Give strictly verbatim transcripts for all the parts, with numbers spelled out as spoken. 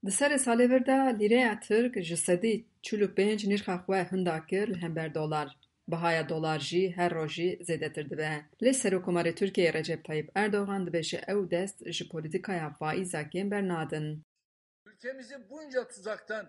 Di serê salê vir de lîreya Tirk ji sedî çil û pênc nirxa xwe hinda kir li hember dolar. Bihaya dolar jî her rojî zêdetir dibe. Lê Serokkomarê Tirkiyeyê Recep Tayyip Erdogan dibêje ew dest ji polîtîkaya faîza kêm bernadin. Ülkemizi bunca tuzaktan,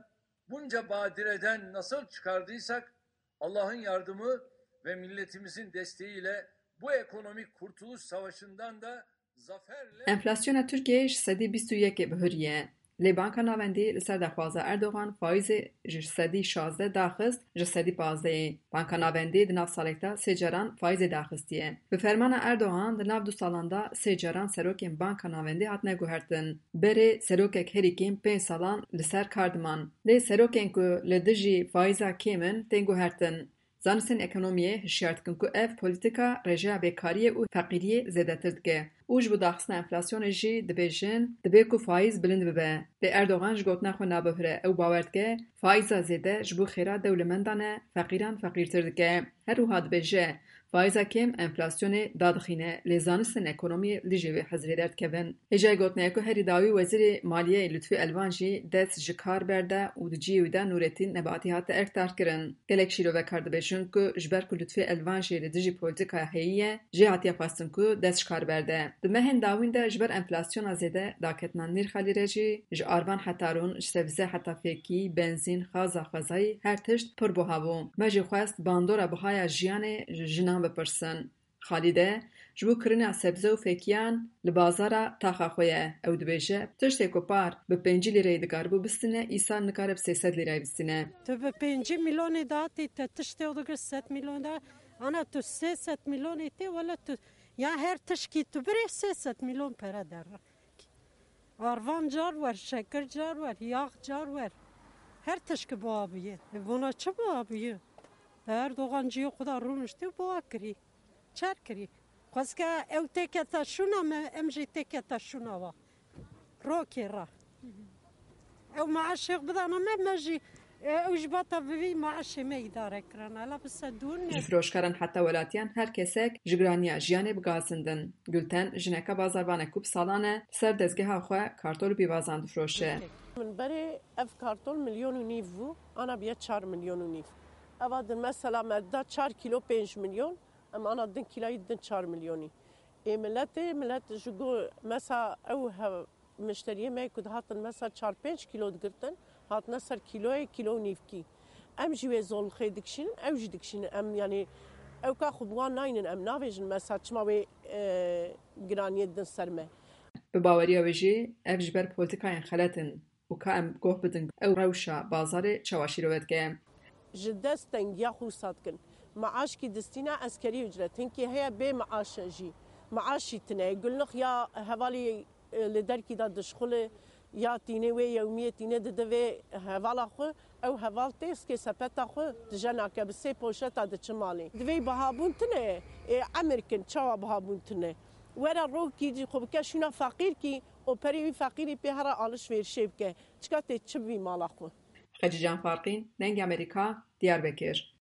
bunca badireden nasıl çıkardıysak Allah'ın yardımı ve milletimizin desteğiyle bu ekonomik kurtuluş savaşından da zaferle Enflasyona Tirkiyeyê ji sedî bîst û yekê bihuriye. Lê Banka Navendî li ser daxwaza Erdogan faîzê ji sedî şazdeh daxist ji sedî pazdehê. Banka Navendî di nav salekda sê caran faîzê daxistiye. Bi fermana Erdogan di nav du salan de sê caran serokên Banka Navendî hatine guhertin. Berê serokek herî kêm pênc salan li ser kar diman. Lê serokên ku li dijî faîza kêm in tên guhertin. Zanistên ekonomiyê hişyar dikin ku ev polîtîka rêjeya bêkariyê û feqîriyê zêdetir dike û ji bo daxistina enflasyonê jî dibêjin, dibê ku faîz bilind bibe. Lê Erdogan ji gotina xwe nabihire, ew bawer dike, faîza zêde ji bo xêra dewlemendan e, feqîran feqîrtir dike. Her wiha dibêje, faîza kêm enflasyonê dadixîne, lê zanistên ekonomiyê li dijî vê hizrê derdikevin. Hêjayî gotinê ye ku herî dawî Wezîrê Maliyeyê Lutfî Elvan jî dest ji kar berde û di cihê wî de Nûretîn Nebatî hate erkdarkirin. Gelek şîrovekar dibêjin ku ji ber ku Lutfî Elvan jî li dijî polîtîkaya heyî ye, jê hatiye xwestin ku dest ji kar berde. Di mehên dawîn de ji ber enflasyona zêde, daketina nirxa lîre jî ji arvan heta rûn, ji sebze heta fêkî, benzîn, xaza xwezayî her tişt pir buha bû. Me jî xwest bandora bihaya jiyanê ji jinan bipirsin. Xalîde, ji bo kirina sebze û fêkiyan li bazara taxa xwe ye. Ew dibêje, tiştê ku par bi pêncî lîreyê dikaribû bistîne, îsal nikare bi sê sed lîreyê bistîne. Tu bi pêncî milyonê datî te tiştê dikir sed milyon da, ana tu sê sed milyonê tê, wele tu ya her tişkî tu birê sê sed milyon pere derre. Arvan car wer, şekir car wer, yax car wer. Her tişkî buha bûye. E, vona çi buha bûye? Erdogan ciyê xwe da rûniştî û buha kirî. Çer kirî. Xwezke ew têkete şûna me, em jî têkete şûna wa. Rokê ra. Ew maaşê xwe bidana me, me jî, e, ew ji bata bi vî maaşê me îdare kirana. Ela bi sedûn ne. Ji firoşkaran heta welatiyan her kesek ji giraniya jiyanê bi gazindin. Gulten, jineke bazarvanek ku bi salan e li ser dezgeha xwe kartol û pîvazan difroşe. Min berê ev kartol milyon û nîv bû, ana biye çar milyon û nîv. Eva din mesela me da çar kîlo pênc milyon, em ana din kîlayî din çar milyonî. Ê miletê, milet ji go mesa ew hev-, mişteriyê me ku dihatin mesa çar pênc kîlo digirtin, hatine ser kîloyê, kîlo û nîvkî. Em jî wê zolixê dikişînin, ew jî dikişînin. Em, yanî, ew ka xwe bi wan naynin, em navêjin mesa çima wê, e, giraniyê din ser me. Bi baweriya wê jî ev ji ber polîtîkayên xelet in û ka em goh bidin ew rewşa bazarê çawa şîrove dike. Ji dest tengiya xwe wisa dikin. Maaşkî distîne eskerî ucret. Hinkî heye bê maaş e jî. Maaşî tine ye. Gulnix ya hevalî, e, li derkî de dişxule, ya tînê wê yewmiyê tînê dide vê hevala xwe. Ew heval tê sikê sepeta xwe tije nake, bi sê poşeta diçe malê. Divê bihabûn tine ye. Ê emir kin, çawa bihabûn tine? Were rokî jî xwe bike şûna feqîrkî û perê wî feqîrî pê here alişverişê bike. Çika tê çi bî mala xwe? Xecîcan Farqîn, Dengê Amerîka, Diyarbekir.